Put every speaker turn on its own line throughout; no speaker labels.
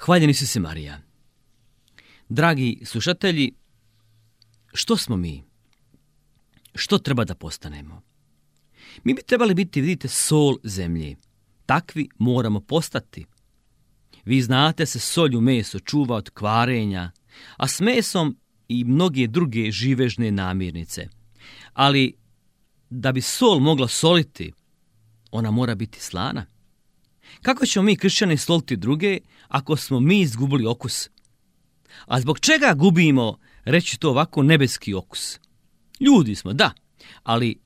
Hvaljeni si Marija. Dragi slušatelji, što smo mi? Što treba da postanemo? Mi bi trebali biti, vidite, sol zemlje. Takvi moramo postati. Vi znate, se solju meso čuva od kvarenja, a s mesom i mnoge druge živežne namirnice. Ali da bi sol mogla soliti, ona mora biti slana. Kako ćemo mi, kršćani, soliti druge ako smo mi izgubili okus? A zbog čega gubimo, reći to ovako, nebeski okus? Ljudi smo, da, ali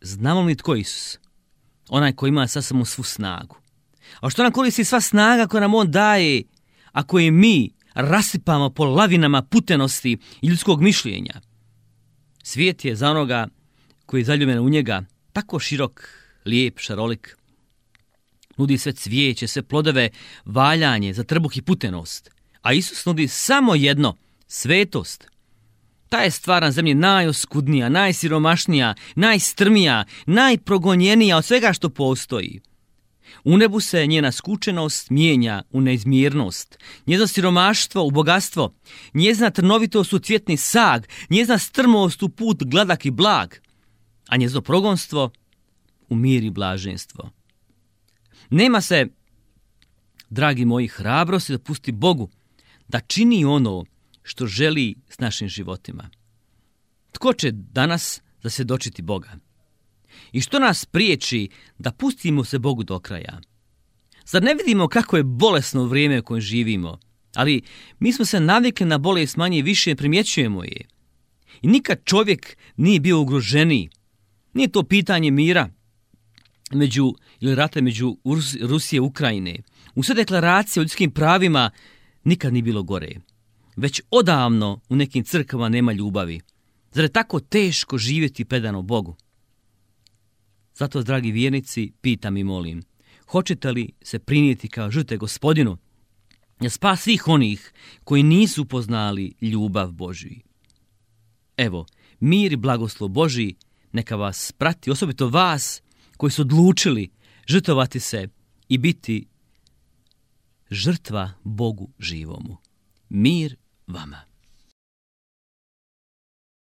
znamo li tko je Isus? Onaj koji ima sasvim svu snagu. A što nam koristi sva snaga koju nam on daje, ako je mi rasipamo po lavinama putenosti i ljudskog mišljenja? Svijet je za onoga koji je zaljubljen u njega tako širok, lijep, šarolik. Nudi sve cvijeće, sve plodove, valjanje za trbuh i putenost. A Isus nudi samo jedno, svetost. Ta je stvar na zemlji najoskudnija, najsiromašnija, najstrmija, najprogonjenija od svega što postoji. U nebu se njena skučenost mijenja u neizmjernost, njezino siromaštvo u bogatstvo, njezina trnovitost u cvjetni sag, njezina strmost u put gladak i blag, a njezino progonstvo u mir i blaženstvo. Nema se, dragi moji, hrabrosti da pusti Bogu da čini ono što želi s našim životima. Tko će danas zasvjedočiti Boga? I što nas priječi da pustimo se Bogu do kraja? Zar ne vidimo kako je bolesno vrijeme u kojem živimo? Ali mi smo se navikli na bolest, manje i više primjećujemo je. I nikad čovjek nije bio ugroženiji. Nije to pitanje mira ili rata među Rusije i Ukrajine. U sve deklaracije o ljudskim pravima nikad nije bilo gore. Već odavno u nekim crkvama nema ljubavi. Zar je tako teško živjeti predano Bogu? Zato, dragi vjernici, pitam i molim, hoćete li se prinijeti kao žrtve Gospodinu za spas svih onih koji nisu upoznali ljubav Božju? Evo, mir i blagoslov Božji neka vas prati, osobito vas koji su odlučili žrtvovati se i biti žrtva Bogu živomu. Mir vama.